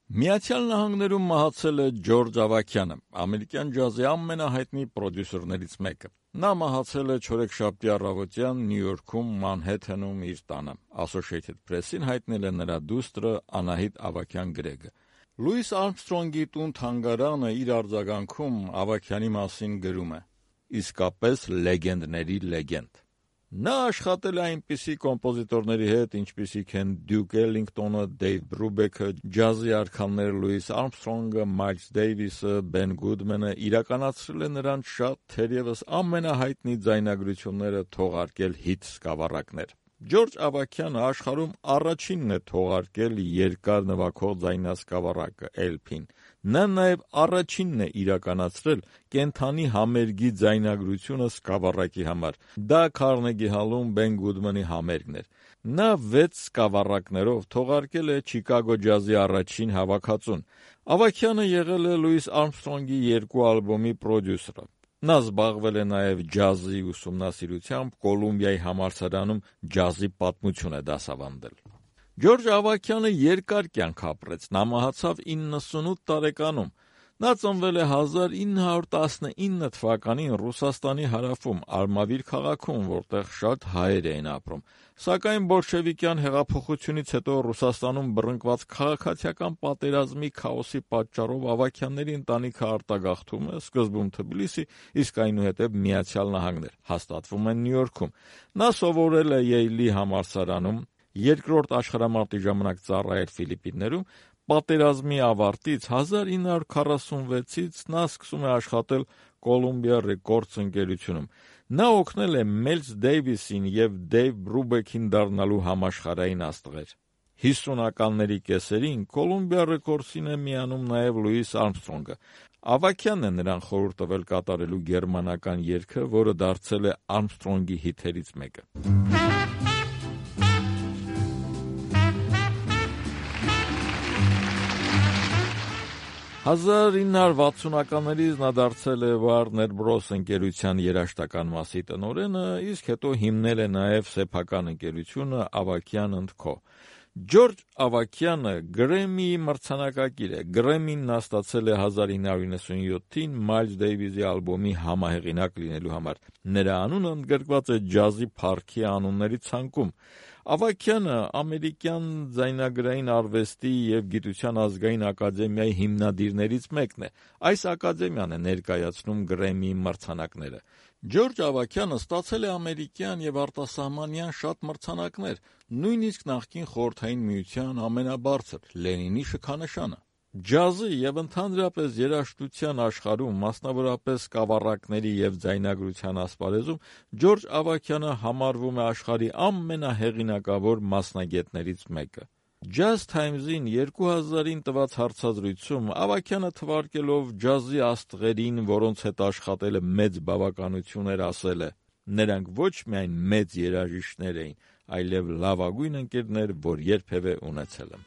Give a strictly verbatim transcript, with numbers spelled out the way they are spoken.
Միացյալ Նահանգներում մահացել է Ջորջ Ավաքյանը, ամերիկյան ջազի ամենահայտնի պրոդյուսերներից մեկը։ Նա մահացել է չորեքշաբթի առավոտյան Նյու Յորքում Մանհեթենում իր տանը։ Associated Press-ին հայտնել է նրա դուստրը Անահիտ Ավաքյան-Գրեգը։ Լուիս Արմսթրոնգի տուն-թանգարանը իր արձագանքում Ավաքյանի մասին գրում է. «Իսկապես լեգենդների լեգենդ։ Նա աշխատել է այնպիսի կոմպոզիտորների հետ, ինչպիսիք են Դյուկ Էլլինգտոնը, Դեյվ Բրուբեքը, ջազի արքաները Լուիս Արմսթրոնգը, Մայլս Դեյվիսը, Բեն Գուդմանը, իրականացրել է նրանց շատ, թերևս ամենահայտնի ձայնագրությունները թողարկել հիթ սկավառակներ։ Ջորջ Ավաքյանը աշխարհում առաջինն է թողարկել երկար նվագող ձայնասկավառակը Էլ Փին։ Նա նաև առաջինն է իրականացրել կենդանի համերգի ձայնագրությունը սկավառակի համար։ Դա Քարնեգի հալում Բեն Գուդմանի համերգն էր։ Նա վեց սկավառակներով թողարկել է Չիկագո ջազի առաջին հավաքածուն։ Ավաքյանը եղել է Լուիս Արմսթրոնգի երկու ալբոմի պրոդյուսերը։ Նա զբաղվել է նաև ջազի ուսումնասիրությամբ, Կոլումբիայի համալսարանում ջազի պատմություն է դասավանդել։ Ջորջ Ավաքյանը երկար կյանք ապրեց, նա մահացավ իննսունութ տարեկանում։ Նա ծնվել է հազար ինը հարյուր տասնինը թվականին Ռուսաստանի հարավում, Արմավիր քաղաքում, որտեղ շատ հայեր էին ապրում։ Սակայն բոլշևիկյան հեղափոխությունից հետո Ռուսաստանում բռնկված քաղաքացիական պատերազմի քաոսի պատճառով Ավաքյանների ընտանիքը արտագաղթում է, սկզբում Թբիլիսի, իսկ այնուհետև Միացյալ Նահանգներ, հաստատվում են Նյու Յորքում։ Նա սովորել է Յեյլի համալսարանում, երկրորդ աշխարհամարտի ժամանակ ծառայել Ֆիլիպիններում։ Պատերազմի ավարտից հազար ինը հարյուր քառասունվեցից նա սկսում է աշխատել Columbia Records ընկերությունում։ Նա օգնել է Մելս Դեյվիսին և Դեյվ Բրուբեքին դառնալու համաշխարհային աստղեր։ հիսունականների կեսերին Columbia Records-ին է միանում նաև Լուիս Արմսթրոնգը։ Ավաքյանն է նրան խորհուրդ տվել կատարելու գերմանական երգը, որը դարձել է Արմսթրոնգի հիթերից մեկը։ հազար ինը հարյուր վաթսունականներից նա դարձել է Warner Bros. Ընկերության երաժշտական մասի տնօրենը, իսկ հետո հիմնել է նաև սեփական ընկերությունը Ավաքյան ընդ Քո։ Ջորջ Ավաքյանը Գրեմմիի մրցանակակիր է։ Գրեմմին նա ստացել է հազար ինը հարյուր նվաթյոթին Մայլս Դեյվիսի ալբոմի համահեղինակ լինելու համար։ Նրա անունը ընդգրկված է ջազի փառքի անունների ցանկում։ Ավաքյանը ամերիկյան ձայնագրային արվեստի և գիտության ազգային ակադեմիայի հիմնադիրներից մեկն է։ Այս ակադեմիան է ներկայացնում Գրեմմիի մրցանակները։ Ջորջ Ավաքյանը ստացել է ամերիկյան և արտասահմանյան շատ մրցանակներ, նույնիսկ նախկին Խորհրդային Միության ամենաբարձր Լենինի շքանշանը։ Ջազի և ընդհանրապես երաժշտության աշխարհում, մասնավորապես սկավառակների և ձայնագրության ասպարեզում, Ջորջ Ավաքյանը համարվում է աշխարհի ամենահեղինակավոր մասնագետներից մեկը։ Jazz Times-ին երկու հազարին տված հարցազրույցում Ավաքյանը թվարկելով ջազի աստղերին, որոնց հետ աշխատելը մեծ բավականություն էր, ասել է. «Նրանք ոչ միայն մեծ երաժիշտներ էին, այլև լավագույն ընկերներ, որ երբևէ ունեցել եմ»։